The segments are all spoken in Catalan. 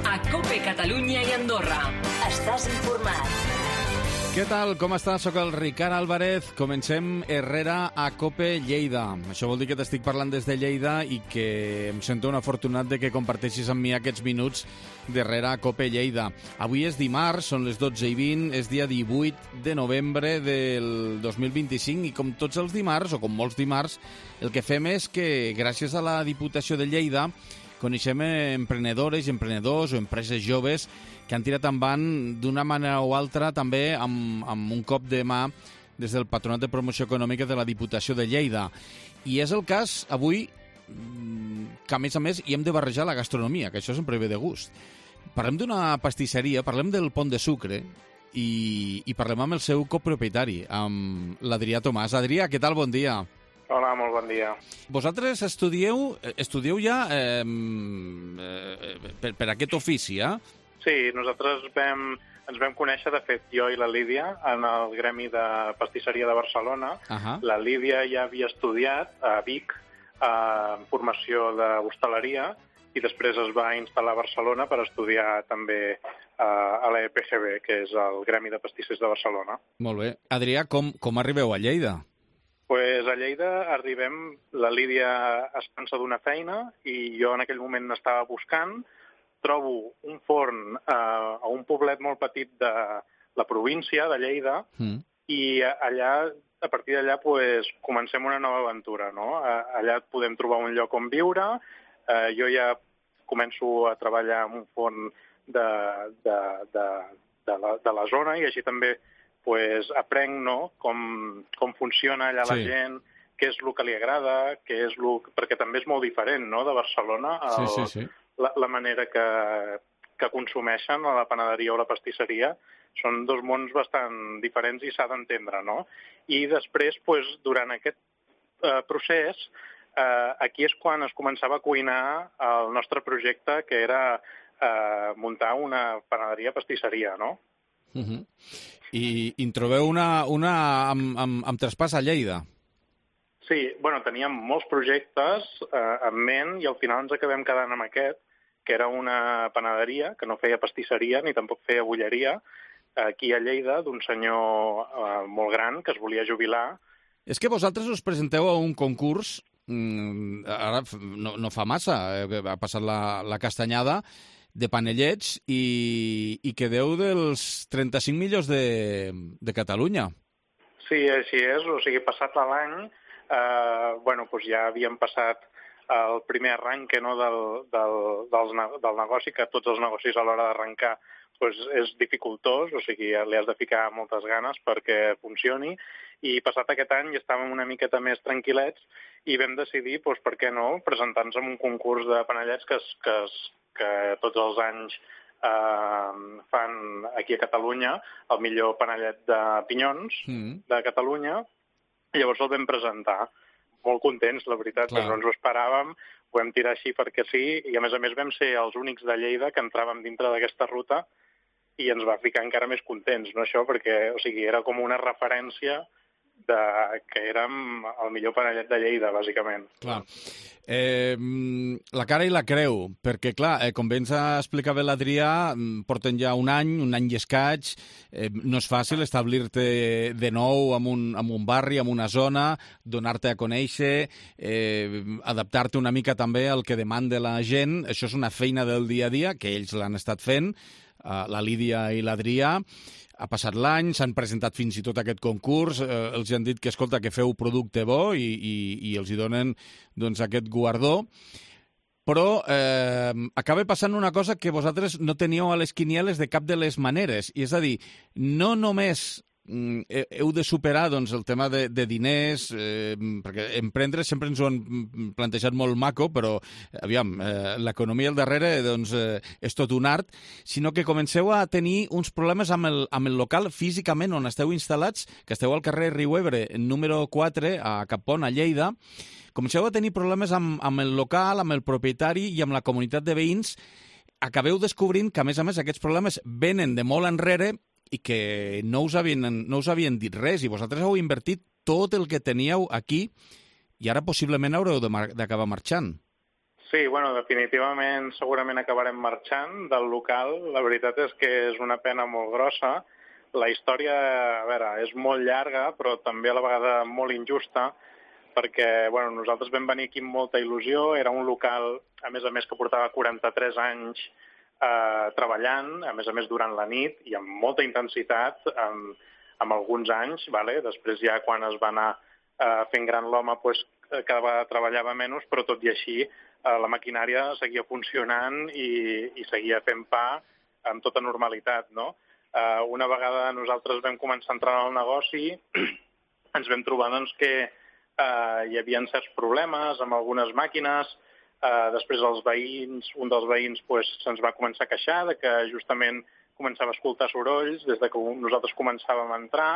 A COPE Catalunya i Andorra. Estàs informat. Què tal? Com estàs? Soc el Ricard Álvarez. Comencem Herrera a COPE Lleida. Això vol dir que t'estic parlant des de Lleida i que em sento un afortunat de que comparteixis amb mi aquests minuts d'Herrera a COPE Lleida. Avui és dimarts, són les 12:20, és dia 18 de novembre del 2025 i com tots els dimarts, o com molts dimarts, el que fem és que gràcies a la Diputació de Lleida coneixem emprenedores i emprenedors o empreses joves que han tirat endavant d'una manera o altra també amb un cop de mà des del Patronat de Promoció Econòmica de la Diputació de Lleida. I és el cas avui que, a més, hi hem de barrejar la gastronomia, que això sempre ve de gust. Parlem d'una pastisseria, parlem del Pont de Sucre i parlem amb el seu copropietari, amb l'Adrià Tomàs. Adrià, què tal? Bon dia. Hola, molt bon dia. Vosaltres estudieu ja per aquest ofici, eh? Sí, nosaltres ens vam conèixer, de fet, jo i la Lídia, en el Gremi de Pastisseria de Barcelona. La Lídia ja havia estudiat a Vic en formació d'hostaleria i després es va instal·lar a Barcelona per estudiar també a l'EPGB, que és el Gremi de Pastissers de Barcelona. Molt bé. Adrià, com arribeu a Lleida? Pues a Lleida arribem, la Lídia es cansa d'una feina i jo en aquell moment n'estava buscant, trobo un forn a un poblet molt petit de la província de Lleida i allà, a partir d'allà pues, comencem una nova aventura, no? Allà podem trobar un lloc on viure, jo ja començo a treballar en un forn de la zona i així també pues, aprenc, no?, com funciona allà la gent, què és el que li agrada, perquè també és molt diferent, no?, de Barcelona, la manera que consumeixen a la panaderia o la pastisseria. Són dos mons bastant diferents i s'ha d'entendre, no? I després, pues, durant aquest procés, aquí és quan es començava a cuinar el nostre projecte, que era muntar una panaderia-pastisseria, no? I en trobeu una amb traspàs a Lleida. Sí, bueno, teníem molts projectes en ment i al final ens acabem quedant amb aquest, que era una panaderia, que no feia pastisseria ni tampoc feia bulleria, aquí a Lleida, d'un senyor molt gran que es volia jubilar. És que vosaltres us presenteu a un concurs, ara no fa massa, ha passat la castanyada, de panellets i quedeu dels 35 millors de Catalunya. Sí, així és. O sigui, passat l'any, doncs ja havíem passat el primer arranque, no, del negoci, que tots els negocis a l'hora d'arrencar és dificultós, o sigui, li has de ficar moltes ganes perquè funcioni, i passat aquest any ja estàvem una miqueta més tranquil·lets i vam decidir, per què no, presentar-nos en un concurs de panellets que tots els anys fan aquí a Catalunya el millor panellet de pinyons de Catalunya. Llavors el vam presentar. Molt contents, la veritat, que no ens ho esperàvem, ho vam tirar així perquè sí, i a més vam ser els únics de Lleida que entràvem dintre d'aquesta ruta i ens va ficar encara més contents, no, això? Perquè, o sigui, era com una referència que érem el millor panellet de Lleida, bàsicament. Clar. La cara i la creu, perquè, clar, com bé ens explicava l'Adrià, porten ja un any i escaig, no és fàcil establir-te de nou en un barri, en una zona, donar-te a conèixer, adaptar-te una mica també al que demanda la gent. Això és una feina del dia a dia, que ells l'han estat fent, la Lídia i l'Adrià. Ha passat l'any, s'han presentat fins i tot aquest concurs, els han dit que, escolta, que feu producte bo i els hi donen doncs, aquest guardó. Però acaba passant una cosa que vosaltres no teníeu a les quinieles de cap de les maneres. I és a dir, no només heu de superar doncs, el tema de diners, perquè emprendre sempre ens ho han plantejat molt maco, però aviam, l'economia al darrere doncs, és tot un art, sinó que comenceu a tenir uns problemes amb el local físicament on esteu instal·lats, que esteu al carrer Riu Ebre, número 4, a Capon, a Lleida. Comenceu a tenir problemes amb el local, amb el propietari i amb la comunitat de veïns. Acabeu descobrint que, a més, aquests problemes venen de molt enrere i que no us havien dit res, i vosaltres heu invertit tot el que teníeu aquí i ara possiblement haureu d'acabar marxant. Sí, bueno, definitivament segurament acabarem marxant del local. La veritat és que és una pena molt grossa. La història, a veure, és molt llarga, però també a la vegada molt injusta, perquè bueno, nosaltres vam venir aquí amb molta il·lusió. Era un local, a més, que portava 43 anys treballant, a més durant la nit i amb molta intensitat, amb alguns anys. Vale? Després ja quan es va anar fent gran l'home, pues, cada vegada treballava menys, però tot i així la maquinària seguia funcionant i seguia fent pa amb tota normalitat, no? Una vegada nosaltres vam començar a entrar en el negoci, ens vam trobar doncs, que hi havia certs problemes amb algunes màquines. Després els veïns, un dels veïns pues, se'ns va començar a queixar de que justament començava a escoltar sorolls des de que nosaltres començàvem a entrar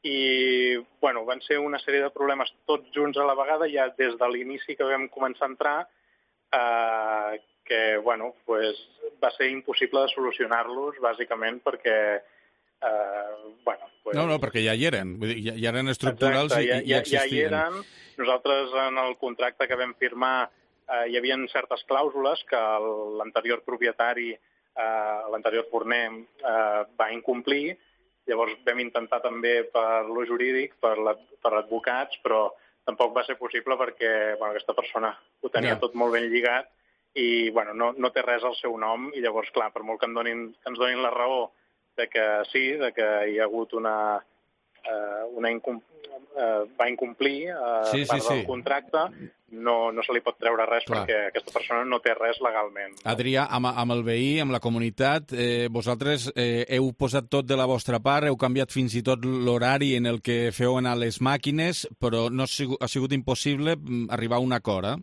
i bueno, van ser una sèrie de problemes tots junts a la vegada ja des de l'inici que vam començar a entrar que bueno, pues, va ser impossible de solucionar-los bàsicament perquè bueno, pues... No, perquè ja hi eren, vull dir, ja eren estructurals. Exacte, i existien. Ja hi eren. Nosaltres en el contracte que vam firmar hi havia certes clàusules que l'anterior propietari, l'anterior forner, va incomplir. Llavors vam intentar també per lo jurídic, per advocats, però tampoc va ser possible perquè bueno, aquesta persona ho tenia tot molt ben lligat i bueno, no té res al seu nom i llavors, clar, per molt que ens donin la raó de que sí, de que hi ha hagut va incomplir part del contracte, no se li pot treure res perquè aquesta persona no té res legalment. No? Adrià, amb el veí, amb la comunitat, vosaltres heu posat tot de la vostra part, heu canviat fins i tot l'horari en el que feu anar les màquines, però no ha sigut impossible arribar a un acord,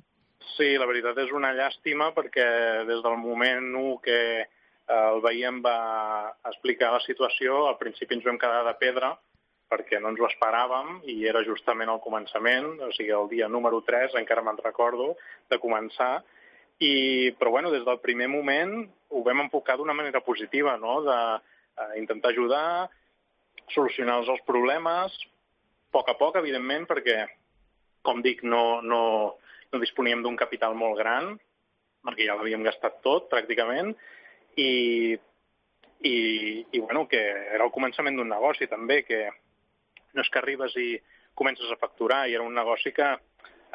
Sí, la veritat és una llàstima perquè des del moment 1 que el veí em va explicar la situació, al principi ens vam quedar de pedra perquè no ens ho esperàvem i era justament al començament, o sigui, el dia número 3, encara me'n recordo, de començar. Però bueno, des del primer moment ho vam enfocar d'una manera positiva, no? D'intentar ajudar, solucionar els problemes, a poc, evidentment, perquè, com dic, no disponíem d'un capital molt gran, perquè ja l'havíem gastat tot, pràcticament, i bueno, que era el començament d'un negoci, també, que no és que arribes i comences a facturar, i era un negoci que,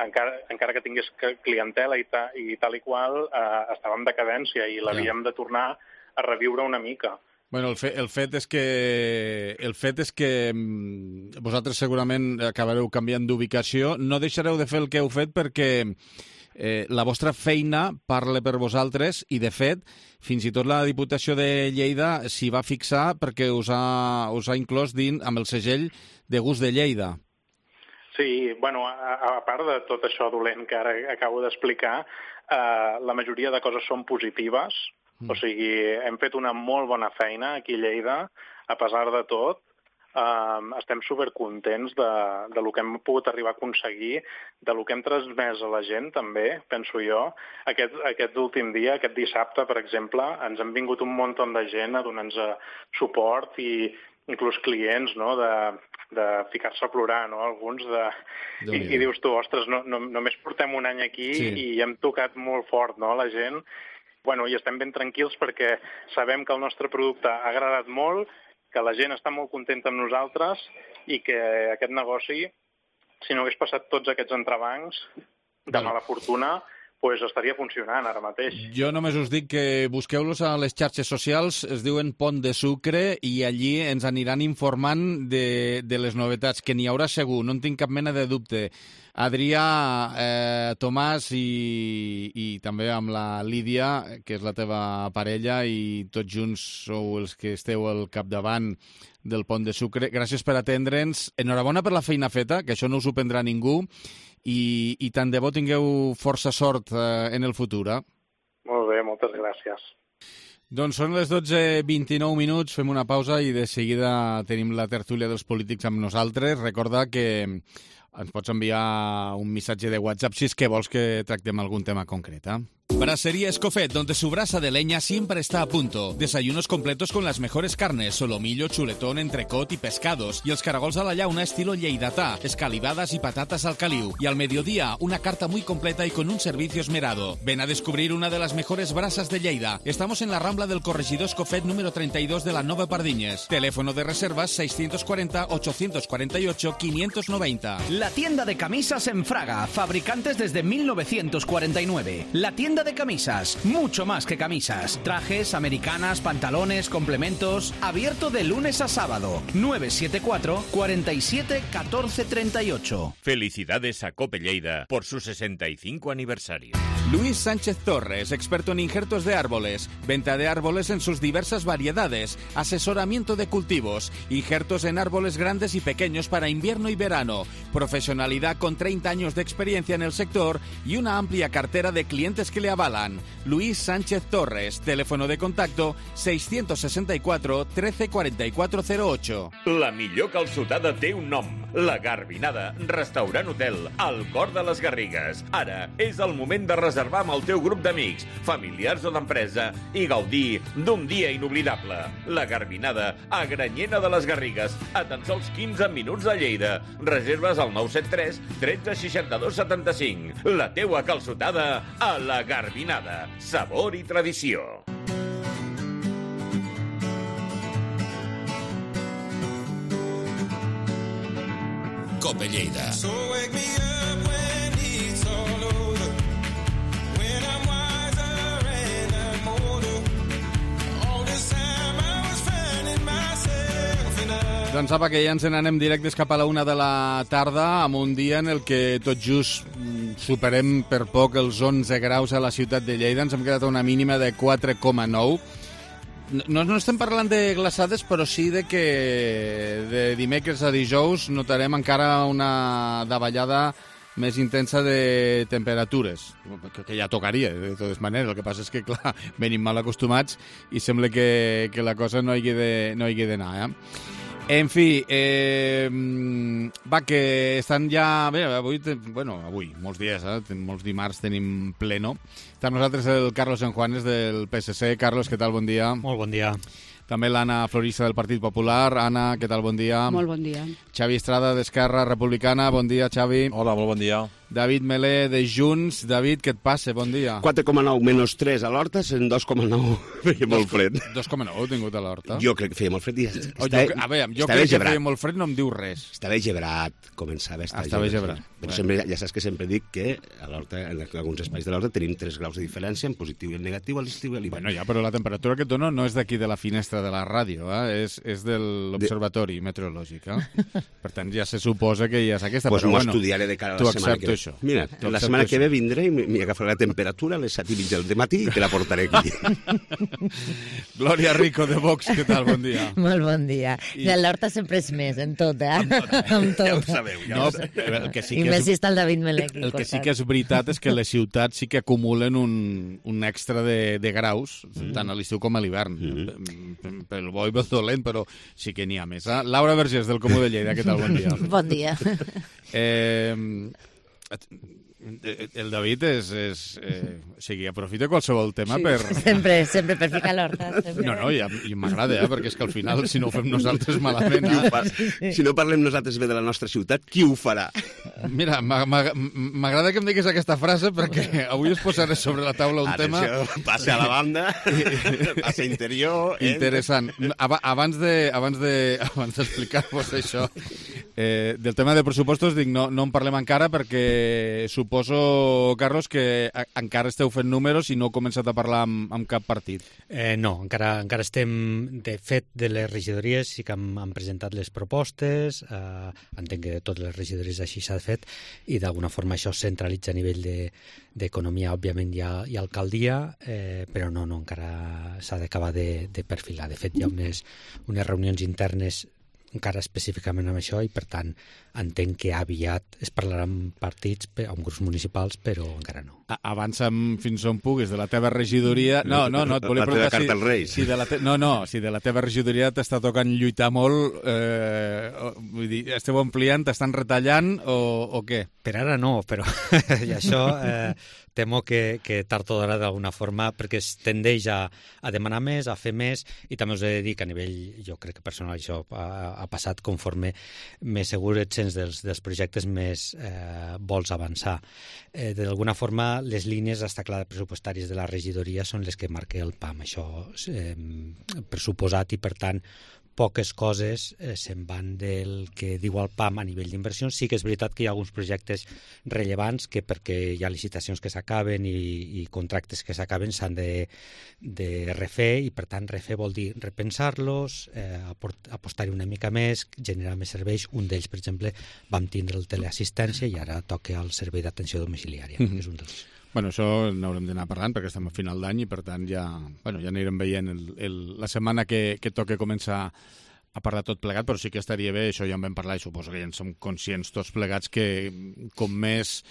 encara que tingués clientela i tal i qual, estava en decadència i l'havíem de tornar a reviure una mica. Bueno, el fet és que vosaltres segurament acabareu canviant d'ubicació. No deixareu de fer el que heu fet perquè la vostra feina parla per vosaltres i, de fet, fins i tot la Diputació de Lleida s'hi va fixar perquè us ha inclòs amb el segell de gust de Lleida. Sí, bueno, a part de tot això dolent que ara acabo d'explicar, la majoria de coses són positives. O sigui, hem fet una molt bona feina aquí a Lleida, a pesar de tot. Estem supercontents de lo que hem pogut arribar a aconseguir, de lo que hem transmès a la gent, també, penso jo. Aquest últim dia, aquest dissabte, per exemple, ens han vingut un munt de gent a donar-nos suport i inclús clients, no?, de ficar-se a plorar, no?, alguns i dius tu, ostres, només portem un any aquí i hem tocat molt fort, no?, la gent. Bueno, i estem ben tranquils perquè sabem que el nostre producte ha agradat molt, que la gent està molt contenta amb nosaltres i que aquest negoci, si no hagués passat tots aquests entrebancs de mala fortuna, pues estaria funcionant ara mateix. Jo només us dic que busqueu-los a les xarxes socials, es diuen Pont de Sucre, i allí ens aniran informant de les novetats, que n'hi haurà segur, no en tinc cap mena de dubte. Adrià, Tomàs i també amb la Lídia, que és la teva parella, i tots junts sou els que esteu al capdavant del Pont de Sucre. Gràcies per atendre'ns. Enhorabona per la feina feta, que això no us ho prendrà ningú, i tant de bo tingueu força sort en el futur. Molt bé, moltes gràcies. Doncs són les 12:29 minuts, fem una pausa i de seguida tenim la tertúlia dels polítics amb nosaltres. Recorda que ens pots enviar un missatge de WhatsApp si és que vols que tractem algun tema concret. Brasería Escofet, donde su brasa de leña siempre está a punto. Desayunos completos con las mejores carnes, solomillo, chuletón, entrecot y pescados. Y els caragols a la llauna estilo lleidatà, escalivadas y patatas al caliu. Y al mediodía, una carta muy completa y con un servicio esmerado. Ven a descubrir una de las mejores brasas de Lleida. Estamos en la Rambla del Corregidor Escofet número 32 de la Nova Pardiñes. Teléfono de reservas 640-848-590. La tienda de camisas en Fraga, fabricantes desde 1949. La tienda de camisas, mucho más que camisas. Trajes, americanas, pantalones, complementos. Abierto de lunes a sábado. 974 47 14 38. Felicidades a Cope Lleida por su 65 aniversario. Luis Sánchez Torres, experto en injertos de árboles, venta de árboles en sus diversas variedades, asesoramiento de cultivos, injertos en árboles grandes y pequeños para invierno y verano, profesionalidad con 30 años de experiencia en el sector y una amplia cartera de clientes que le avalan. Luis Sánchez Torres, teléfono de contacto 664 13 44 08. La millor calçotada té un nom. La Garbinada, restaurant hotel, al cor de les Garrigues. Ara és el moment de reservar amb el teu grup d'amics, familiars o d'empresa i gaudir d'un dia inoblidable. La Garbinada, a Granyena de les Garrigues, a tan sols 15 minuts de Lleida. Reserves al 973 13 62 75. La teua calçotada a la Garbinada. Sabor i tradició. Cope Lleida. So wake me up when it's all over, when I'm wiser and I'm older. All this time I was finding myself in a... Doncs apa, que ja ens n'anem directes cap a la 1 de la tarda, amb un dia en el que tot just superem per poc els 11 graus a la ciutat de Lleida. Ens hem quedat a una mínima de 4,9. No estem parlant de glaçades, però sí de que de dimecres a dijous notarem encara una davallada més intensa de temperatures, que ja tocaria, de totes maneres. El que passa és que, clar, venim mal acostumats i sembla que la cosa no hi hagi d'anar, En fi, va, que estan ja... Bé, avui, molts dies, molts dimarts tenim pleno. Està amb nosaltres el Carlos Sanjuanes del PSC. Carlos, què tal? Bon dia. Molt bon dia. També l'Anna Florista del Partit Popular. Anna, què tal? Bon dia. Molt bon dia. Xavi Estrada d'Esquerra Republicana. Bon dia, Xavi. Hola, molt bon dia. David Melé de Junts. David, què et passa? Bon dia. 4,9 menys 3 a l'Horta, en 2,9 feia molt fred. 2,9 he tingut a l'Horta. Jo crec que feia molt fred. Jo crec que feia molt fred, no em diu res. Estava gebrat, començava a estar gebrat. Però sempre, ja saps que sempre dic que a l'Horta, en alguns espais de l'Horta, tenim 3 graus de diferència, en positiu i en negatiu, a l'estiu i a l'hivern. Bueno, ja, però la temperatura que et dono no és d'aquí de la finestra de la ràdio, és de l'Observatori Meteorològic. Per tant, ja se suposa que ja és aquesta. Doncs m'ho estudiaré de cara a la setmana que ve. Això. Mira, la setmana que ve vindré i m'hi agafaré la temperatura a les 7:30 del matí i te la portaré aquí. Glòria Rico de Vox, què tal? Bon dia. Molt bon dia. L'Horta sempre és més, en tot, Amb tot. Ja ho sabeu. El que sí I més si està el David Melé aquí. El que sí que és veritat és que les ciutats sí que acumulen un extra de graus, tant a l'estiu com a l'hivern. Pel bo i pel dolent, però sí que n'hi ha més. Laura Vergés, del Comú de Lleida, què tal? Bon dia. Bon dia. El David o sigui, aprofita qualsevol tema per... Sempre per ficar l'Horta. No, i m'agrada, perquè és que al final, si no ho fem nosaltres malament... Si no parlem nosaltres bé de la nostra ciutat, qui ho farà? Mira, m'agrada que em diguis aquesta frase perquè avui es posaré sobre la taula un tema... Passe a la banda, passe interior... Interessant. Abans d'explicar-vos això, del tema de pressupostos, dic, no en parlem encara perquè suposo, Carlos, que encara esteu fent números i no heu començat a parlar amb cap partit. No, encara estem... De fet, de les regidories sí que han presentat les propostes, entenc que de totes les regidories així s'ha fet, i d'alguna forma això es centralitza a nivell d'economia, òbviament, i alcaldia, però no, encara s'ha d'acabar de perfilar. De fet, hi ha unes reunions internes encara específicament amb això i, per tant, entenc que aviat es parlarà amb partits, amb grups municipals, però encara no. Avança'm fins on puguis. De la teva regidoria... No, et volia preguntar si de la teva regidoria t'està tocant lluitar molt, vull dir, esteu ampliant, t'estan retallant o què? Per ara no, però i això temo que tard o d'hora d'alguna forma, perquè es tendeix a demanar més, a fer més, i també us he de dir que a nivell, jo crec que personal això ha passat conforme més segur et sents dels projectes, més vols avançar. D'alguna forma, les línies, està clar, pressupostàries de la regidoria són les que marquen el PAM, això pressuposat, i per tant poques coses se'n van del que diu el PAM a nivell d'inversions. Sí que és veritat que hi ha alguns projectes rellevants que, perquè hi ha licitacions que s'acaben i contractes que s'acaben, s'han de refer, i per tant refer vol dir repensar-los, apostar-hi una mica més, generar més serveis. Un d'ells, per exemple, vam tindre el teleassistència i ara toca el servei d'atenció domiciliària. És un dels... Bueno, això n'haurem d'anar parlant perquè estem a final d'any i per tant ja anirem veient la setmana que toca començar a parlar tot plegat, però sí que estaria bé, això ja en vam parlar i suposo que ja en som conscients tots plegats, que com més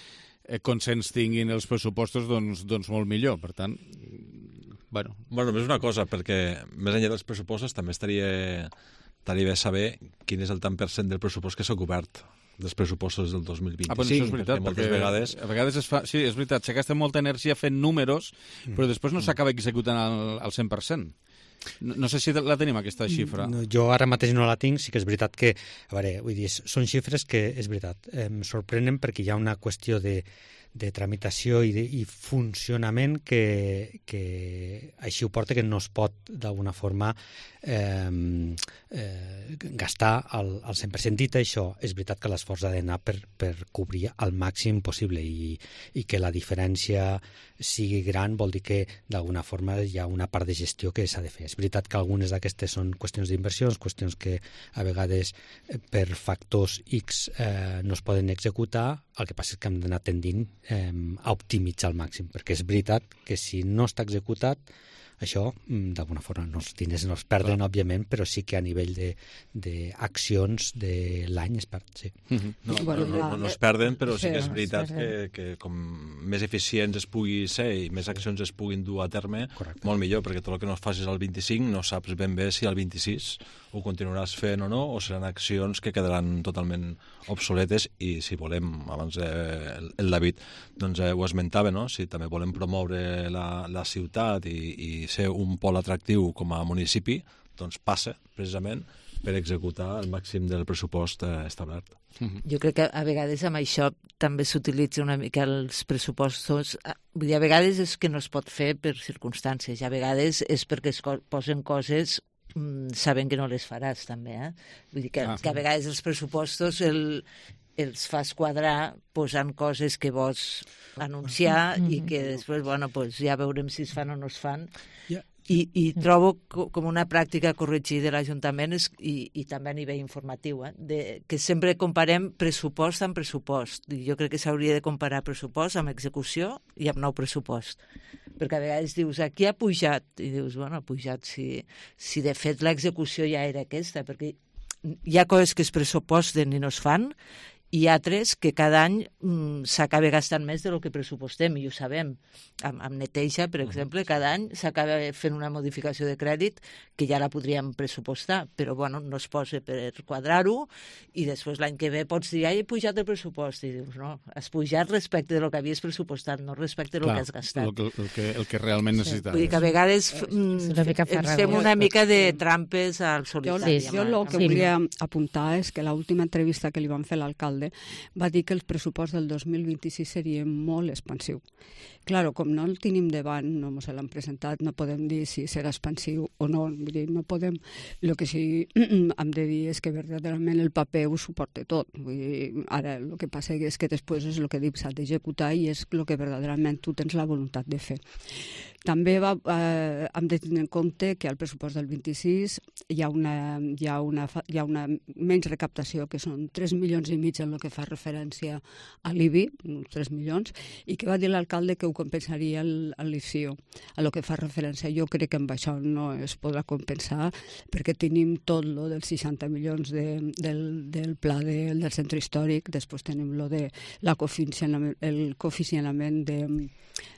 consens tinguin els pressupostos, doncs molt millor. Per tant, Bueno, només una cosa, perquè més enllà dels pressupostos també estaria bé saber quin és el tant % del pressupost que s'ha cobert dels pressupostos del 2025. Però això és veritat, perquè a vegades es fa... Sí, és veritat, se gasta molta energia fent números, però després no s'acaba executant al 100%. No sé si la tenim, aquesta xifra. No, jo ara mateix no la tinc, sí que és veritat que... A veure, vull dir, són xifres que, és veritat, em sorprenen perquè hi ha una qüestió de tramitació i funcionament que així ho porta, que no es pot d'alguna forma gastar al 100%. Dit això, és veritat que l'esforç ha d'anar per cobrir al màxim possible i que la diferència sigui gran vol dir que d'alguna forma hi ha una part de gestió que s'ha de fer. És veritat que algunes d'aquestes són qüestions d'inversions, qüestions que a vegades per factors X no es poden executar. El que passa és que hem d'anar tendint a optimitzar al màxim, perquè és veritat que si no està executat, això, d'alguna forma, els diners no es perden, òbviament, però sí que a nivell d'accions de l'any es perd, sí. No es perden, però sí que és veritat que com més eficients es pugui ser i més accions es puguin dur a terme, molt millor, perquè tot el que no facis al 25 no saps ben bé si al 26 ho continuaràs fent o no, o seran accions que quedaran totalment obsoletes. I si volem, abans el David doncs ho esmentava, no? Si també volem promoure la ciutat i ser un pol atractiu com a municipi, doncs passa precisament per executar el màxim del pressupost establert. Jo crec que a vegades amb això també s'utilitza una mica els pressupostos. Vull dir, a vegades és que no es pot fer per circumstàncies, i a vegades és perquè es posen coses sabent que no les faràs, també. Vull dir que a vegades els pressupostos els fas quadrar posant coses que vols anunciar i que després, ja veurem si es fan o no es fan. I trobo com una pràctica a corregir de l'Ajuntament i també a nivell informatiu, que sempre comparem pressupost amb pressupost. Jo crec que s'hauria de comparar pressupost amb execució i amb nou pressupost. Perquè a vegades dius, aquí ha pujat, i dius, ha pujat si de fet l'execució ja era aquesta, perquè hi ha coses que es pressuposten i no es fan, i altres que cada any s'acaba gastant més del que pressupostem, i ho sabem. Amb neteja, per exemple, cada any s'acaba fent una modificació de crèdit que ja la podríem pressupostar, però no es posa per quadrar-ho, i després l'any que ve pots dir, he pujat el pressupost, i dius, no, has pujat respecte del que havies pressupostat, no respecte del que has gastat. El que realment necessitaves. Vull dir que a vegades fem una mica de trampes al solitari. Jo el que volia apuntar és que l'última entrevista que li van fer l'alcalde va dir que el pressupost del 2026 seria molt expansiu. Claro, com no el tenim davant, no ens l'han presentat, no podem dir si serà expansiu o no. Vull dir, no podem... El que sí hem de dir és que verdaderament el paper ho suporta tot. Vull dir, ara el que passa és que després és el que dic, s'ha d'executar i és el que verdaderament tu tens la voluntat de fer. També hem de tenir en compte que al pressupost del 26 hi ha una menys recaptació, que són 3,5 milions en el que fa referència a l'IBI, uns 3 milions, i que va dir l'alcalde que ho compensaria l'ICIO. A lo que fa referència, jo crec que amb això no es podrà compensar, perquè tenim tot lo dels 60 milions del pla del centre històric, després tenim lo de el cofinançament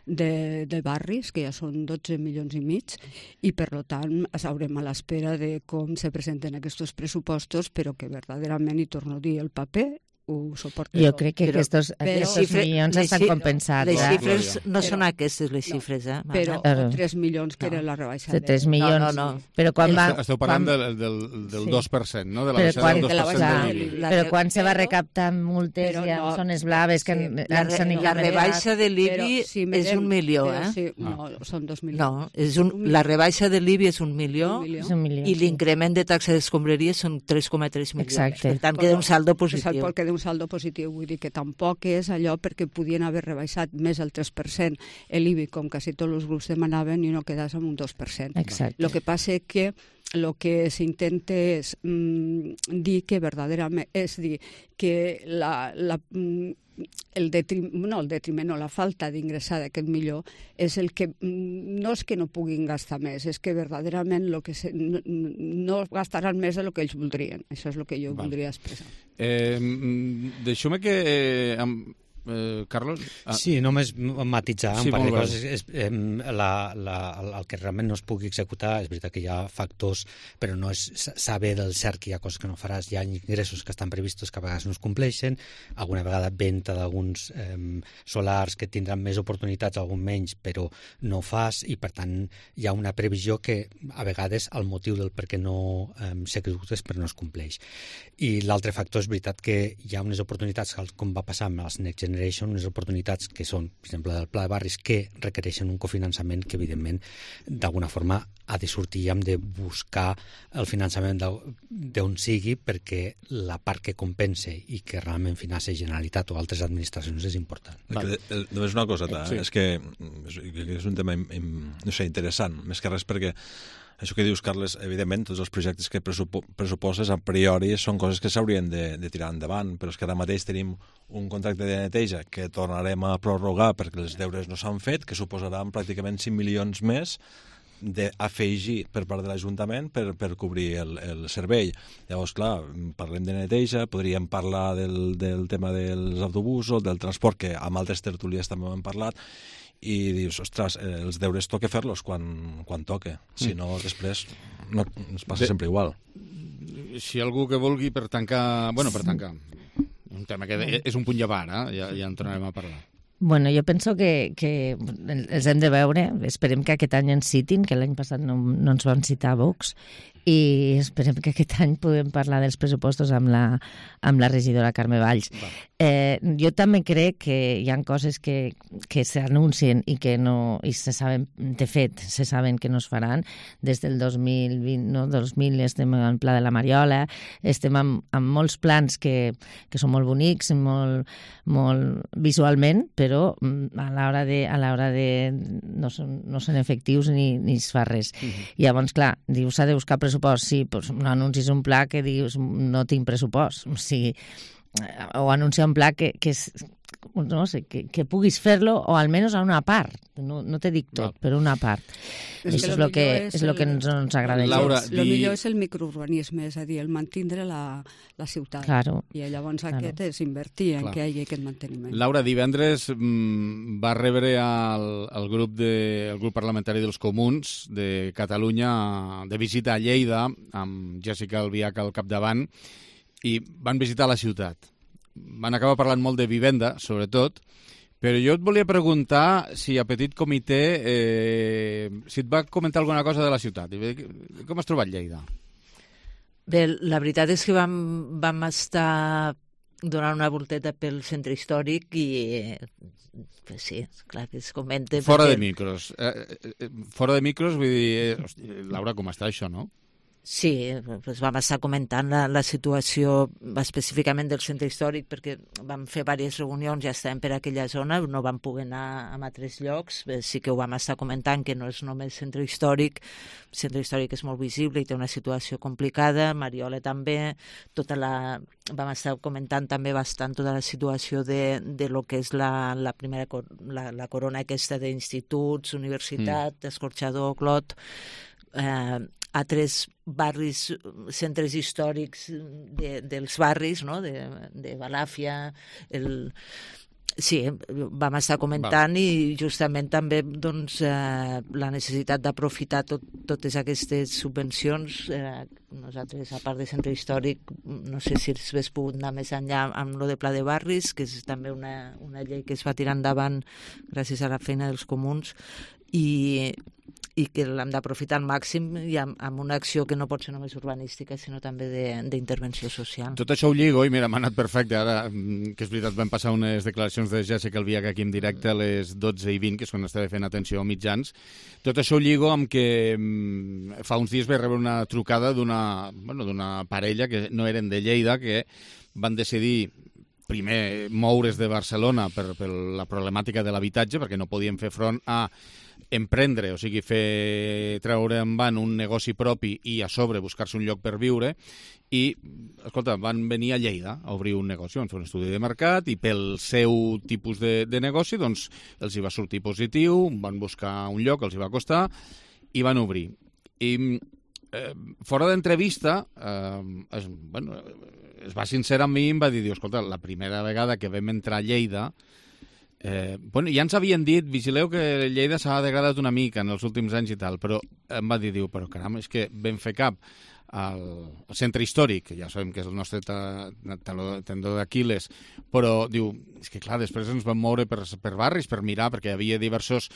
de barris, que ja són 12,5 milions, i per tant haurem a l'espera de com se presenten aquests pressupostos, però que verdaderament, i torno a dir, el paper suporta. Jo crec que aquests milions estan compensats. Les xifres no són aquestes, les xifres, Però 3 milions que era la rebaixa. 3 milions. No. Però quan va... Esteu parlant del 2%, no? De la baixada del 2% de l'IBI. Però quan se va recaptar multes i en zones blaves que s'han La rebaixa de l'IBI és 1 milió, No, són 2 milions. No, la rebaixa de l'IBI és 1 milió i l'increment de taxa d'escombraria són 3,3 milions. Exacte. Per tant, queda un saldo positiu. Queda un saldo positiu, vull dir que tampoc és allò perquè podien haver rebaixat més el 3% l'IBI, com quasi tots els grups demanaven, i no quedàs amb un 2%. Exacte. El que passa és que el que s'intenta és dir que verdaderament, és dir, que el detriment o la falta d'ingressar d'aquest millor és el que no és que no puguin gastar més, és que verdaderament no gastaran més del que ells voldrien. Això és el que jo voldria expressar. Deixeu-me que... Carlos? Sí, només matitzar un par de coses. El que realment no es pugui executar, és veritat que hi ha factors, però no és saber del cert que hi ha coses que no faràs, hi ha ingressos que estan previstos que a vegades no es compleixen, alguna vegada venda d'alguns solars que tindran més oportunitats, algun menys, però no fas, i per tant hi ha una previsió que a vegades el motiu del per què no s'executa és perquè no es compleix. I l'altre factor és veritat que hi ha unes oportunitats, com va passar amb les Next Generation, unes oportunitats que són, per exemple, del Pla de Barris, que requereixen un cofinançament que, evidentment, d'alguna forma ha de sortir i hem de buscar el finançament d'on sigui, perquè la part que compensa i que realment finança Generalitat o altres administracions és important. Només una cosa, és que és un tema interessant, més que res perquè això que dius, Carles, evidentment, tots els projectes que pressuposes a priori són coses que s'haurien de tirar endavant, però és que ara mateix tenim un contracte de neteja que tornarem a prorrogar perquè els deures no s'han fet, que suposaran pràcticament 5 milions més d'afegir per part de l'Ajuntament per cobrir el servei. Llavors, clar, parlem de neteja, podríem parlar del tema dels autobusos, del transport, que amb altres tertúlies també ho hem parlat, i dius, ostres, els deures toca fer-los quan toca, si no després no ens passa sempre igual. Si algú que vulgui per tancar un tema que és un punt llevar, ja en tornarem a parlar. Bueno, jo penso que els hem de veure, esperem que aquest any ens citin, que l'any passat no ens van citar a Vox, i esperem que aquest any puguem parlar dels pressupostos amb la regidora Carme Valls. Jo també crec que hi ha coses que s'anuncien i que no, i se saben, de fet, se saben que no es faran. Des del 2020, no, 2000 estem en el Pla de la Mariola, estem amb molts plans que són molt bonics, molt visualment, però a l'hora de no són efectius ni es fa res. Llavors, clar, dius, s'ha de buscar pressupost, sí, doncs no anuncis un pla que dius no tinc pressupost, o sigui, o anunciar un pla que no sé, que puguis fer-lo, o almenys a una part, no te dic tot, però una part. Això és el que ens agrada. El millor és el microurbanisme, és a dir, el mantindre la ciutat. Claro. I llavors aquest és invertir en que hi hagi aquest manteniment. Laura, divendres va rebre el grup parlamentari dels Comuns de Catalunya de visita a Lleida, amb Jessica Albiach al capdavant, i van visitar la ciutat. Van acabar parlant molt de vivenda, sobretot, però jo et volia preguntar si a Petit Comitè si et va comentar alguna cosa de la ciutat. Com has trobat Lleida? Bé, la veritat és que vam estar donant una volteta pel centre històric i sí, clar que es comenta... Fora de micros. Fora de micros, vull dir... Laura, com està això, no? Sí, doncs vam estar comentant la situació específicament del centre històric, perquè vam fer diverses reunions, ja estàvem per aquella zona, no vam poder anar a altres llocs, sí que ho vam estar comentant, que no és només centre històric, el centre històric és molt visible i té una situació complicada, Mariola també, vam estar comentant també bastant tota la situació de lo que és la corona aquesta d'instituts, universitat, Escorxador, Clot, altres barris, centres històrics dels barris, no? de Balàfia, Sí, vam estar comentant i justament també doncs, la necessitat d'aprofitar totes aquestes subvencions. Nosaltres, a part de centre històric, no sé si s'hagués pogut anar més enllà amb lo de Pla de Barris, que és també una llei que es va tirar endavant gràcies a la feina dels comuns, i que l'hem d'aprofitar al màxim i amb una acció que no pot ser només urbanística, sinó també d'intervenció social. Tot això ho lligo, i mira, m'ha anat perfecte, ara, que és veritat, vam passar unes declaracions de Jessica Albiach aquí en directe a les 12:20, que és quan estava fent atenció a mitjans. Tot això ho lligo amb que fa uns dies vaig rebre una trucada d'una parella que no eren de Lleida, que van decidir primer moure's de Barcelona per la problemàtica de l'habitatge, perquè no podien fer front a emprendre, o sigui, treure en van un negoci propi i a sobre buscar-se un lloc per viure, i, escolta, van venir a Lleida a obrir un negoci, van fer un estudi de mercat i pel seu tipus de negoci doncs els hi va sortir positiu, van buscar un lloc, els hi va costar i van obrir. I fora d'entrevista es va sincerar amb mi i em va dir, escolta, la primera vegada que vam entrar a Lleida, ja ens havien dit, vigileu que Lleida s'ha degradat una mica en els últims anys i tal, però em va dir, però caram, és que vam fer cap al centre històric, que ja sabem que és el nostre tendó d'Aquil·les, però diu, és que clar, després ens vam moure per barris per mirar, perquè hi havia diversos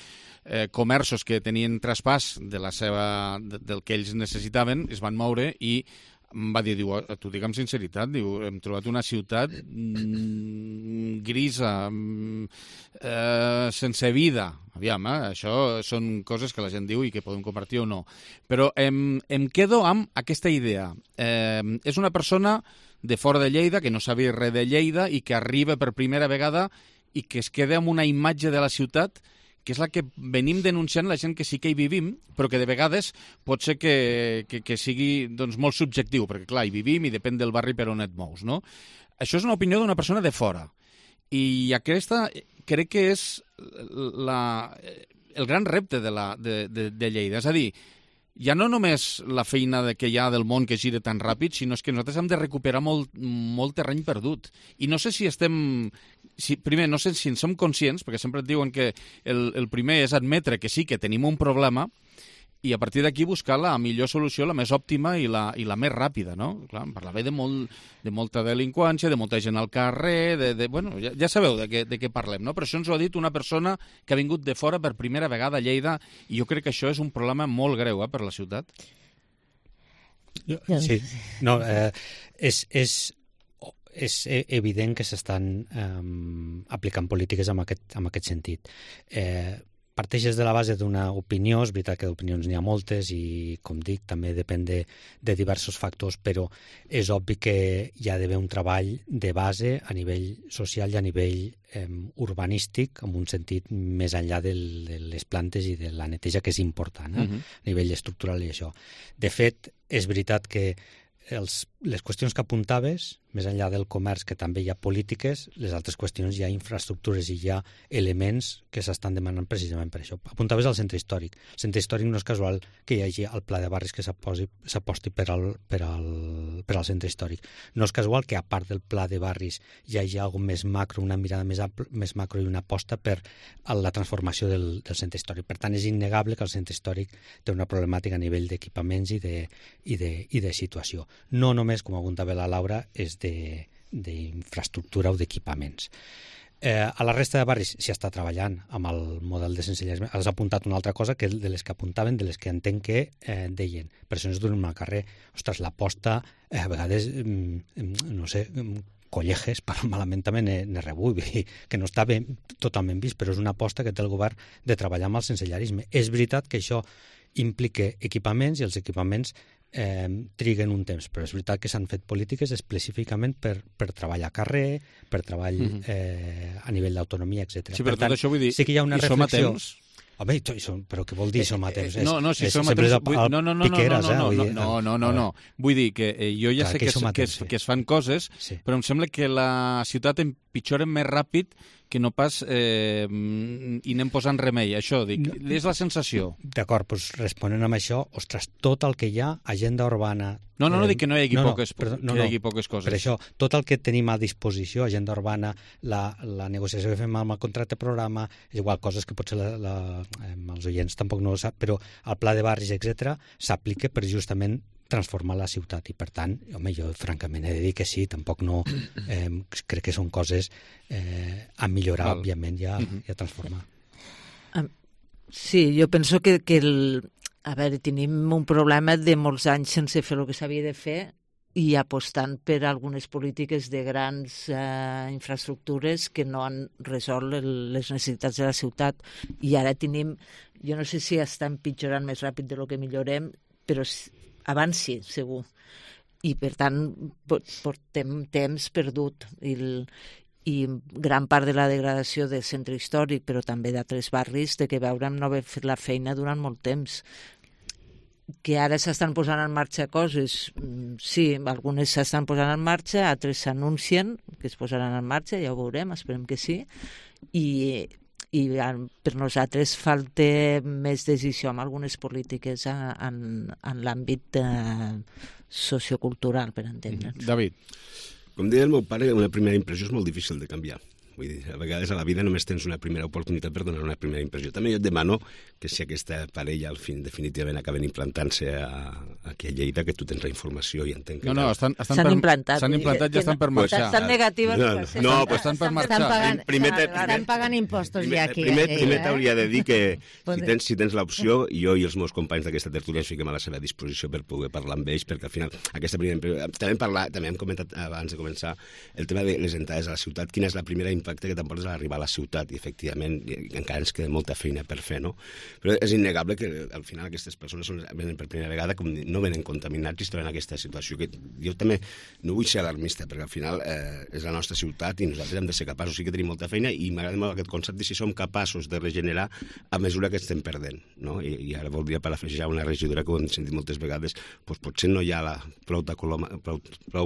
comerços que tenien traspàs del que ells necessitaven, es van moure i em va dir, t'ho dic amb sinceritat, hem trobat una ciutat grisa, sense vida. Aviam, això són coses que la gent diu i que podem compartir o no. Però em quedo amb aquesta idea. És una persona de fora de Lleida, que no sabia res de Lleida i que arriba per primera vegada i que es queda amb una imatge de la ciutat que és la que venim denunciant la gent que sí que hi vivim, però que de vegades pot ser que sigui molt subjectiu, perquè clar, hi vivim i depèn del barri per on et mous, no? Això és una opinió d'una persona de fora. I aquesta crec que és el gran repte de Lleida. És a dir, ja no només la feina que hi ha del món que gira tan ràpid, sinó que nosaltres hem de recuperar molt terreny perdut. I no sé si primer, no sé si en som conscients, perquè sempre et diuen que el primer és admetre que sí, que tenim un problema, i a partir d'aquí buscar la millor solució, la més òptima i la més ràpida, no? Clar, em parlava de molta delinqüència, de molta gent al carrer, ja sabeu de què parlem, no? Però això ens ho ha dit una persona que ha vingut de fora per primera vegada a Lleida, i jo crec que això és un problema molt greu per la ciutat. Sí, no, és evident que s'estan aplicant polítiques en aquest sentit. Parteixes de la base d'una opinió, és veritat que d'opinions n'hi ha moltes i, com dic, també depèn de diversos factors, però és obvi que hi ha d'haver un treball de base a nivell social i a nivell urbanístic, en un sentit més enllà de les plantes i de la neteja, que és important, a nivell estructural i això. De fet, és veritat que les qüestions que apuntaves, més enllà del comerç, que també hi ha polítiques, les altres qüestions hi ha infraestructures i hi ha elements que s'estan demanant precisament per això. Apuntaves al centre històric. El centre històric no és casual que hi hagi el pla de barris que s'aposti per al centre històric. No és casual que, a part del pla de barris, hi hagi alguna més macro, una mirada més macro i una aposta per la transformació del centre històric. Per tant, és innegable que el centre històric té una problemàtica a nivell d'equipaments i de situació. No només, com apuntava la Laura, és d'infraestructura o d'equipaments. A la resta de barris s'hi està treballant amb el model de sensellarisme. Has apuntat una altra cosa que de les que apuntaven, de les que entenc que deien. Persones durant el carrer. Ostres, l'aposta, a vegades, no sé, colleges, malament també n'he rebut, que no està totalment vist, però és una aposta que té el govern de treballar amb el sensellarisme. És veritat que això implica equipaments i els equipaments triguen un temps, però és veritat que s'han fet polítiques específicament per treball a carrer, per treball a nivell d'autonomia, etc. Sí, però tot això vull dir, sí que hi ha una reflexió. Som a temps? Home, però què vol dir som a temps? No, si som a temps... No. Vull dir que jo ja sé que es fan coses, però em sembla que la ciutat empitjora més ràpid que no pas i anem posant remei, això, dic, és la sensació. D'acord, doncs responent amb això, ostres, tot el que hi ha, agenda urbana... No dic que no hi hagi poques coses. Per això, tot el que tenim a disposició, agenda urbana, la negociació que fem amb el contracte programa, és igual, coses que potser els oients tampoc no ho sap, però el pla de barris, etc s'aplica per justament transformar la ciutat i, per tant, home, jo francament he de dir que sí, tampoc no... crec que són coses a millorar, òbviament, i a transformar. Sí, jo penso que a veure, tenim un problema de molts anys sense fer el que s'havia de fer i apostant per algunes polítiques de grans infraestructures que no han resolt les necessitats de la ciutat. I ara tenim, jo no sé si està empitjorant més ràpid de lo que millorem, però abans sí, segur. I, per tant, portem temps perdut. I gran part de la degradació del centre històric, però també d'altres barris, de que veurem no haver fet la feina durant molt temps. Que ara s'estan posant en marxa coses, sí, algunes s'estan posant en marxa, altres s'anuncien que es posaran en marxa, ja ho veurem, esperem que sí, i per nosaltres falta més decisió amb algunes polítiques en l'àmbit sociocultural, per entendre'ns. David. Com deia el meu pare, una primera impressió és molt difícil de canviar. Vull dir, a vegades a la vida només tens una primera oportunitat per donar una primera impressió. També jo et demano que si aquesta parella al fin definitivament acaben implantant-se aquí a Lleida, que tu tens la informació i entenc que... S'han implantat. S'han implantat i estan per marxar. Estan negatives. Estan per marxar. Estan pagant impostos ja aquí. Primer t'hauria de dir que si tens l'opció, jo i els meus companys d'aquesta tertúlia ens fiquem a la seva disposició per poder parlar amb ells, perquè al final aquesta primera impressió... També hem comentat abans de començar el tema de les entrades a la ciutat, quina és la primera impacte que t'emportes a arribar a la ciutat, i efectivament encara ens queda molta feina per fer, no? Però és innegable que al final aquestes persones venen per primera vegada, com no venen contaminats i es troben en aquesta situació, que jo també no vull ser alarmista, perquè al final és la nostra ciutat i nosaltres hem de ser capaços, sí que tenim molta feina, i m'agrada molt aquest concepte de si som capaços de regenerar a mesura que estem perdent, no? I ara voldria parafrasejar una regidora que ho hem sentit moltes vegades, doncs potser no hi ha prou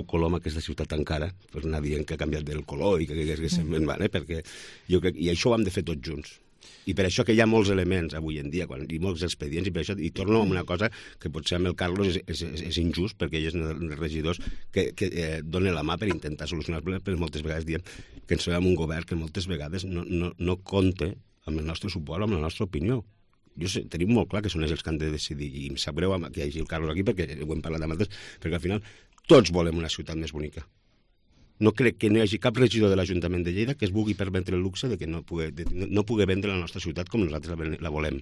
coloma aquesta ciutat encara, per anar dient que ha canviat del color i que se'n va, perquè jo crec, i això ho hem de fer tots junts. I per això que hi ha molts elements avui en dia, i molts expedients, i per això, i torno a una cosa que potser amb el Carlos és injust, perquè ell és un dels regidors que dona la mà per intentar solucionar el problema, però moltes vegades diem que ens trobem un govern que moltes vegades no compta amb el nostre suport, amb la nostra opinió. Tenim molt clar que són ells els que han de decidir, i em sap greu que hi hagi el Carlos aquí, perquè ho hem parlat amb altres, perquè al final tots volem una ciutat més bonica. No crec que no hi hagi cap regidor de l'Ajuntament de Lleida que es vulgui permetre el luxe de que no pugui vendre la nostra ciutat com nosaltres la volem.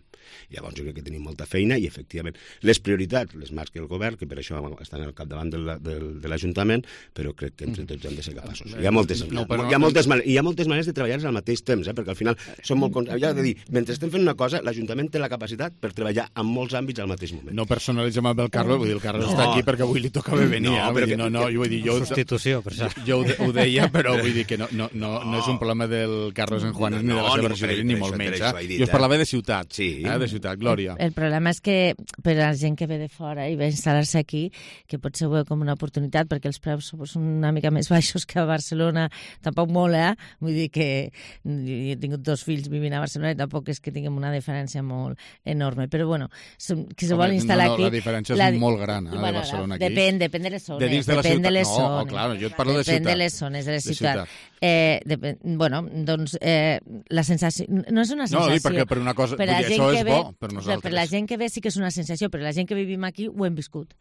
Llavors jo crec que tenim molta feina i, efectivament, les prioritats les marca el govern, que per això estan al capdavant de l'Ajuntament, però crec que entre tots hem de ser capaços. Hi ha moltes maneres de treballar al mateix temps, perquè al final som molt... Ja de dir, mentre estem fent una cosa, l'Ajuntament té la capacitat per treballar en molts àmbits al mateix moment. No personalitzem amb el Carlos, vull dir, el Carlos està aquí perquè avui li tocava venir. Substitució, per això. Ho deia, però vull dir que no és un problema del Carlos en Juanes ni de la seva regidoria, ni molt menys. Jo us parlava de ciutat, de ciutat. Glòria. El problema és que per a la gent que ve de fora i ve a instal·lar-se aquí, que potser ho veu com una oportunitat, perquè els preus són una mica més baixos que a Barcelona, tampoc molt, vull dir que jo he tingut 2 fills vivint a Barcelona i tampoc és que tinguem una diferència molt enorme, però bueno, qui se vol instal·lar aquí... La diferència és molt gran, de Barcelona aquí. Depèn de les zones. De dins de la ciutat. No, clar, jo et parlo de ciutat. De les zones de la ciutat. Doncs la sensació... No és una sensació. No, perquè per una cosa... Això és bo per nosaltres. Per la gent que ve sí que és una sensació, però la gent que vivim aquí ho hem viscut,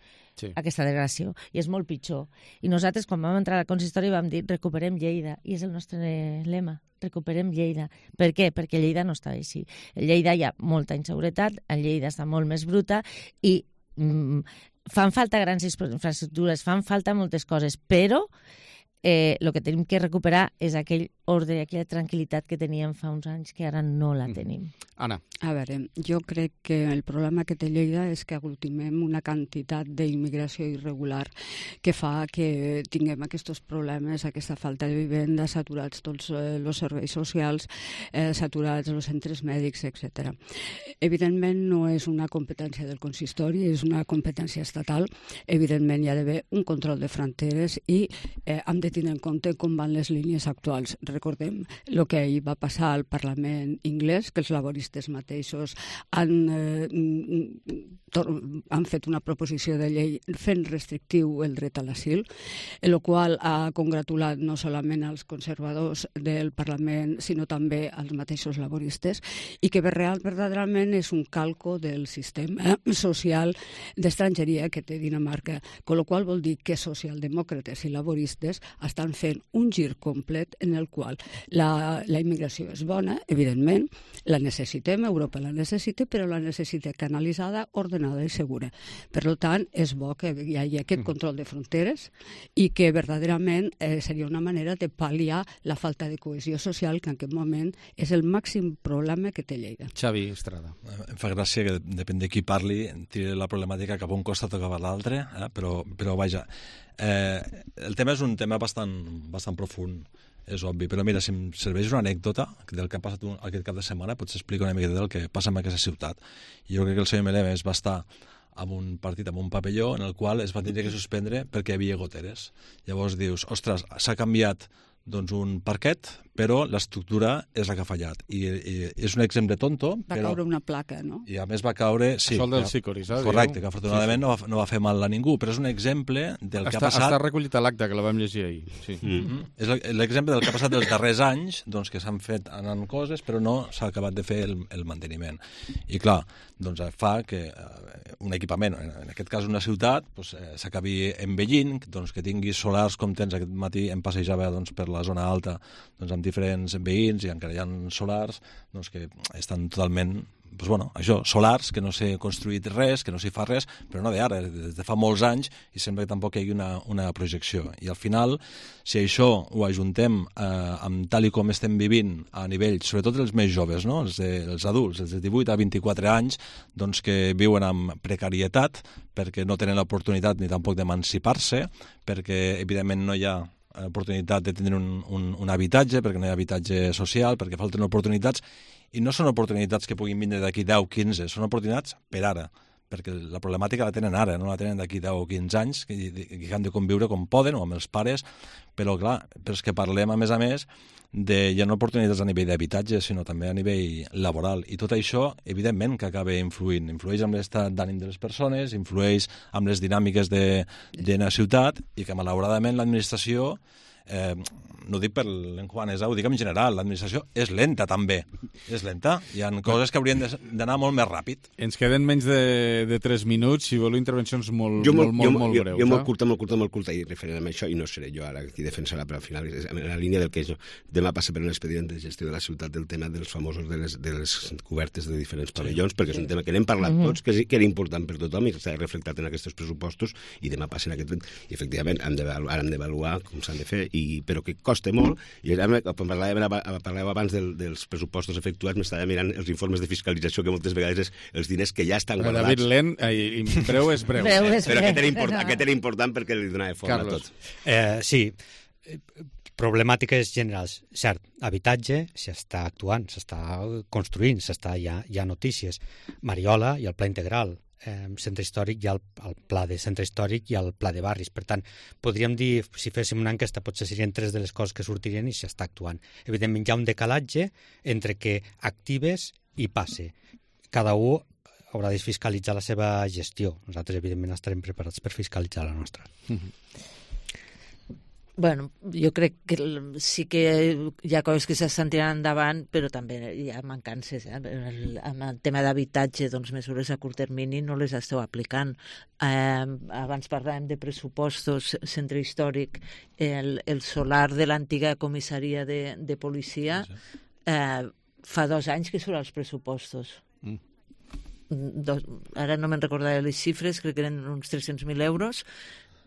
aquesta degradació, i és molt pitjor. I nosaltres, quan vam entrar al consistori, vam dir recuperem Lleida, i és el nostre lema, recuperem Lleida. Per què? Perquè Lleida no està així. A Lleida hi ha molta inseguretat, a Lleida està molt més bruta, i fan falta grans infraestructures, fan falta moltes coses, però el que tenim que recuperar és aquell ordre i aquella tranquil·litat que teníem fa uns anys, que ara no la tenim. Anna. A veure, jo crec que el problema que té Lleida és que aglutimem una quantitat d'immigració irregular que fa que tinguem aquests problemes, aquesta falta de vivenda, saturats tots els serveis socials, saturats els centres mèdics, etc. Evidentment no és una competència del consistori, és una competència estatal. Evidentment hi ha d'haver un control de fronteres i hem de tenir en compte com van les línies actuals. Recordem el que ahir va passar al Parlament inglès, que els laboristes mateixos han fet una proposició de llei fent restrictiu el dret a l'asil, el qual ha congratulat no solament als conservadors del Parlament, sinó també als mateixos laboristes, i que verdaderament és un calco del sistema social d'estrangeria que té Dinamarca, amb la qual vol dir que socialdemòcrates i laboristes estan fent un gir complet en el qual la immigració és bona, evidentment, la necessitem, Europa la necessita, però la necessita canalitzada, ordenada i segura. Per tant, és bo que hi hagi aquest control de fronteres i que verdaderament seria una manera de pal·liar la falta de cohesió social, que en aquest moment és el màxim problema que té Lleida. Xavi Estrada. Em fa gràcia que depèn de qui parli, tiri la problemàtica cap a un costat o cap a l'altre, però vaja, el tema és un tema bastant profund, és obvi, però mira, si em serveix una anècdota del que ha passat aquest cap de setmana, potser explico una mica del que passa en aquesta ciutat. Jo crec que el senyor Melemes va estar amb un partit, amb un pavelló, en el qual es va tenir que suspendre perquè hi havia goteres. Llavors dius, ostres, s'ha canviat doncs un parquet, però l'estructura és la que ha fallat. I és un exemple tonto, va caure una placa, no? I a més va caure... Sí, això del Sicoris, correcte, que afortunadament no va fer mal a ningú, però és un exemple del que ha passat... Està recollit a l'acte, que la vam llegir ahir. Sí. És l'exemple del que ha passat dels darrers anys, doncs, que s'han fet anant coses, però no s'ha acabat de fer el manteniment. I clar, doncs fa que un equipament, en aquest cas una ciutat, doncs, s'acabi envellint, doncs, que tingui solars com tens. Aquest matí em passejava doncs, per la zona alta doncs, amb diferents veïns i encara hi ha solars doncs, que estan totalment, doncs, bueno, això, solars, que no s'ha construït res, que no s'hi fa res, però no d'ara, des de fa molts anys, i sembla que tampoc hi hagi una projecció. I al final, si això ho ajuntem amb tal i com estem vivint a nivell, sobretot els més joves, no? Els adults, els de 18 a 24 anys, doncs que viuen amb precarietat, perquè no tenen l'oportunitat ni tampoc d'emancipar-se, perquè evidentment no hi ha oportunitat de tenir un habitatge, perquè no hi ha habitatge social, perquè falten oportunitats, i no són oportunitats que puguin vindre d'aquí 10 o 15, són oportunitats per ara, perquè la problemàtica la tenen ara, no la tenen d'aquí 10 o 15 anys, que han de conviure com poden, o amb els pares, però clar, però és que parlem a més ja no oportunitats a nivell d'habitatge, sinó també a nivell laboral, i tot això, evidentment, que acaba influeix amb l'estat d'ànim de les persones, influeix amb les dinàmiques de la ciutat, i que malauradament l'administració, no ho dic per l'enjuanesa, ho dic en general, l'administració és lenta també, és lenta, hi ha coses que haurien d'anar molt més ràpid. Ens queden menys de 3 minuts, si voleu intervencions molt breus. Jo molt curta i referent a això, i no seré jo ara qui defensarà, però al final és en la línia del que és. Demà passa per un expedient de gestió de la ciutat del tema dels famosos de les cobertes de diferents pavellons, perquè és un tema que n'hem parlat tots, que era important per tothom i que s'ha reflectat en aquests pressupostos, i demà passa en aquest... I efectivament han d'avaluar com s'han de fer, però que costa molt, i quan parlàvem abans dels pressupostos efectuats, m'estava mirant els informes de fiscalització, que moltes vegades és els diners que ja estan guardats. David Len, breu és breu. Però aquest era important perquè li donava forma a tot. Sí, problemàtiques generals. Cert, habitatge s'està actuant, s'està construint, hi ha notícies. Mariola i el pla integral. Centre històric, hi ha el pla de centre històric i el pla de barris. Per tant, podríem dir, si féssim una enquesta, potser serien 3 de les coses que sortirien i s'està actuant. Evidentment, hi ha un decalatge entre que actives i passe. Cada un haurà de fiscalitzar la seva gestió. Nosaltres, evidentment, estarem preparats per fiscalitzar la nostra. Bueno, jo crec que sí que hi ha coses que s'estan tirant endavant, però també hi ha mancances. Amb el tema d'habitatge, doncs mesures a curt termini no les esteu aplicant. Abans parlàvem de pressupostos, centre històric, el solar de l'antiga comissaria de policia, fa 2 anys que surt als pressupostos. Ara no me'n recordaré les xifres, crec que eren uns 300.000 euros,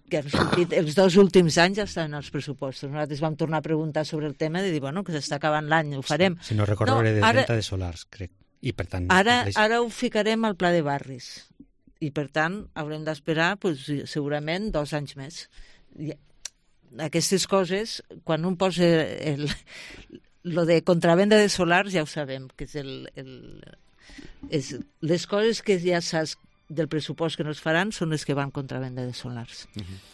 que han sortit els 2 últims anys estan als pressupostos. Nosaltres vam tornar a preguntar sobre el tema de dir, bueno, que s'està acabant l'any, ho farem. Si no recordo, era de venda de solars, crec. I per tant... Ara ho ficarem al pla de barris. I per tant, haurem d'esperar segurament 2 anys més. Aquestes coses, quan un posa lo de contravenda de solars, ja ho sabem, que és les coses que ja saps del pressupost que no es faran són les que van contra venda de solars.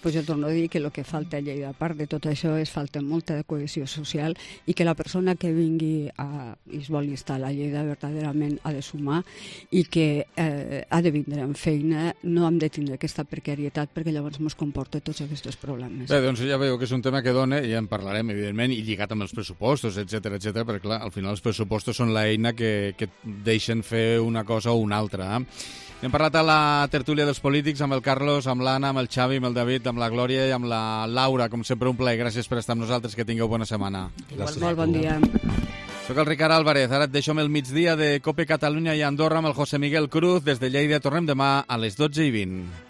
Pues jo torno a dir que el que falta a Lleida, a part de tot això, és falta molta de cohesió social i que la persona que vingui i es vol instal·lar a Lleida verdaderament ha de sumar i que ha de vindre amb feina, no hem de tindre aquesta precarietat perquè llavors ens comporta tots aquests problemes. Bé, doncs ja veieu que és un tema que dona, i ja en parlarem, evidentment, i lligat amb els pressupostos, etc perquè, clar, al final els pressupostos són l'eina que deixen fer una cosa o una altra. Hem parlat a la tertúlia dels polítics amb el Carlos, amb l'Anna, amb el Xavi, amb el David, amb la Glòria i amb la Laura. Com sempre, un plaer. Gràcies per estar amb nosaltres. Que tingueu bona setmana. Molt bon dia. Soc el Ricard Álvarez. Ara et deixo amb el migdia de COPE Catalunya i Andorra amb el José Miguel Cruz. Des de Lleida tornem demà a les 12:20.